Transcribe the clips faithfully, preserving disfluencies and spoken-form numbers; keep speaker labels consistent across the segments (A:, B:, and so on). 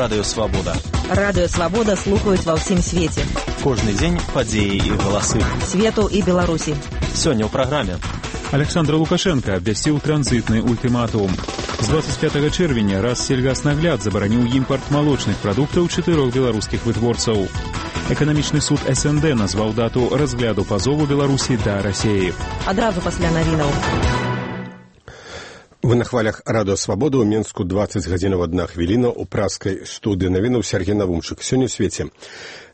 A: Радыё Свабода.
B: Радыё Свабода слухаюць ва ўсім свеце.
A: Кожны дзень падзеі і галасы.
B: Свету і Беларусі.
A: Сёння ў праграме.
C: Александр Лукашенко абвясціў транзітны ультыматум. З двадцать пятага чэрвеня Рассельгаснагляд забараніў імпарт малочных прадуктаў чатырох беларускіх вытворцаў. Эканамічны суд эс эн дэ назваў дату разгляду пазову Беларусі да Расеі.
B: Адразу пасля навінаў.
D: Вы на хвалях Радыё Свабода ў Менску двадцать гадзінаў адна хвіліна ў праскай студыі навінаў Сергей Навумчык. Сёння ў свеце.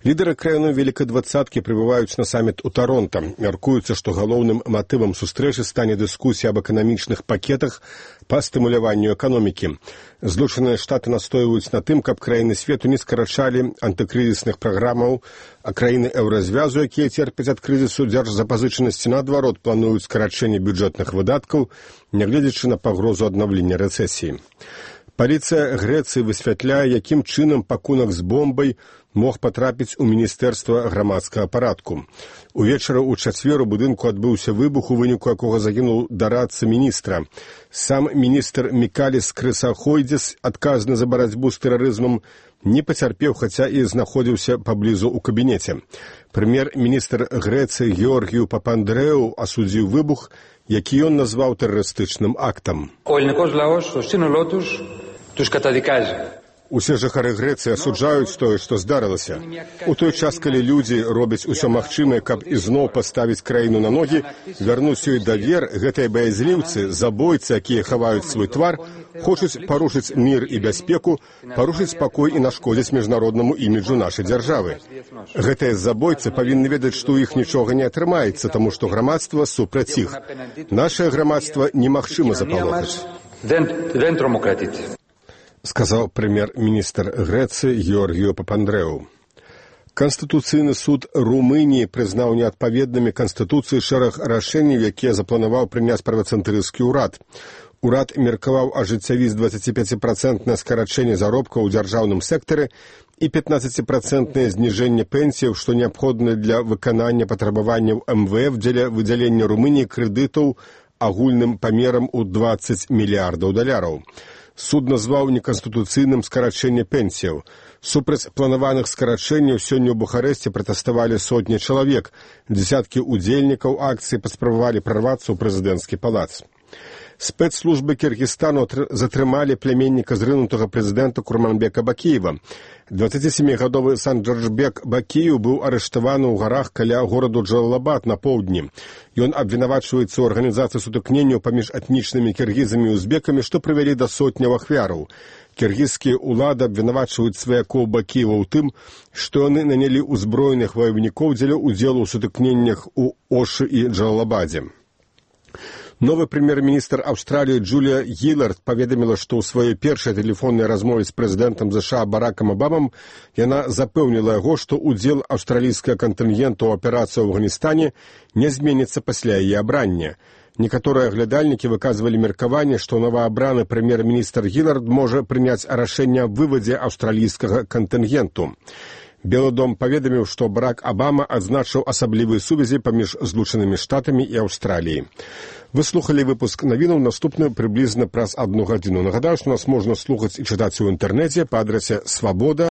D: Лідары краіны Вялікай двадцаткі прыбываюць на саміт у Таронта. Мяркуецца, што галоўным матывам сустрэчы стане дыскусія аб эканамічных пакетах па стымуляванню эканомікі. Злучаныя Штаты настойваюць на тым, каб краіны свету не скарачалі антыкрызісных праграмаў, а краіны еўразвязу, якія церпяць ад крызісу дзяржзапазычанасці, наадварот, плануюць скарачэнне бюджэтных выдаткаў, нягледзячы на пагрозу аднаўлення рэцэсіі. Паліцыя Грэцыі высвятляе, якім чынам пакунак з бомбай мог патрапіць у Міністэрства грамадскага парадку. Увечары ў чацвер у будынку адбыўся выбух, у выніку якога загінуў дарадца міністра. Сам міністр Мікаліс Крысахойдзіс, адказны за барацьбу з тэрарызмам, не пацярпеў, хаця і знаходзіўся паблізу ў кабінеце. Прэм'ер-міністр Грэцыі Георгію Папандрэу асудзіў выбух, які ён назваў тэрарыстычным актам. Усе жыхары Грэцыі асуджаюць тое, што здарылася. У той час, калі людзі робяць усё магчымае, каб ізноў паставіць краіну на ногі, вярнуць ёй давер, гэтыя баязліўцы, забойцы, якія хаваюць свой твар, хочуць парушыць мір і бяспеку, парушыць спакой і нашкодзіць міжнароднаму іміджу нашай дзяржавы. Гэтыя забойцы павінны ведаць, што ў іх нічога не атрымаецца, таму што грамадства супраць іх. Нашае грамадства немагчыма запалохаць. Сказаў прэм'ер-міністр Грэцыі Георгію Папандрэу. Канстытуцыйны суд Румыніі прызнаў неадпаведнымі Канстытуцыі шэраг рашэнняў, якія запланаваў прыняць правацэнтрысцкі ўрад. Урад меркаваў ажыццявіць дваццаціпяціпрацэнтнае скарачэнне заробкаў у дзяржаўным сектары і пятнаццаціпрацэнтнае зніжэнне пенсіяў, што неабходна для выканання патрабаванняў эм вэ эф дзеля выдзялення Румыніі крэдытаў агульным памерам у дваццаць мільярдаў даляраў. Суд назваў неканстытуцыйным скарачэнне пенсіяў. Супраць планаваных скарачэнняў сёння ў Бухарэсце пратэставалі сотні чалавек. Дзесяткі удзельнікаў акцыі паспрабавалі прарвацца ў прэзідэнцкі палац. Спецслужбы Кіргізстану затрымалі пляменніка зрынутага прэзідэнта Курманбека Бакіева. дваццацісямігадовы Санджарджбек Бакіев быў арыштаваны ў гарах каля гораду Джалалабад на поўдні. Ён абвінавачваецца ў арганізацыі сутыкненняў паміж этнічнымі кіргізамі і узбекамі, што прывялі да сотняў ахвяраў. Кіргізскія ўлады абвінавачваюць сваякоў Бакіева ў тым, што яны нанялі ўзброеных ваявнікоў дзеля ўдзелу ў сутыкненнях у Ошы і Джалалабадзе. Новы прэм'ер-міністр Аўстраліі Джулія Гілард паведаміла, што ў сваёй першай тэлефоннай размове з прэзідэнтам ЗША Баракам Абамам яна запэўніла яго, што ўдзел аўстралійскага кантынгенту ў аперацыі ў Афганістане не зменіцца пасля яе абрання. Некаторыя аглядальнікі выказвалі меркаванне, што новаабраны прэм'ер-міністр Гілард можа прыняць рашэнне аб вывадзе аўстралійскага кантынгенту. Белы дом паведаміў, што Барак Абама адзначыў асаблівыя сувязі паміж Злучанымі Штатамі і Аўстраліяй. Вы слухалі выпуск навінаў, наступны прыблізна праз адну гадзіну. Нагадаю, што нас можна слухаць і чытаць у інтэрнэце па адрасе свабода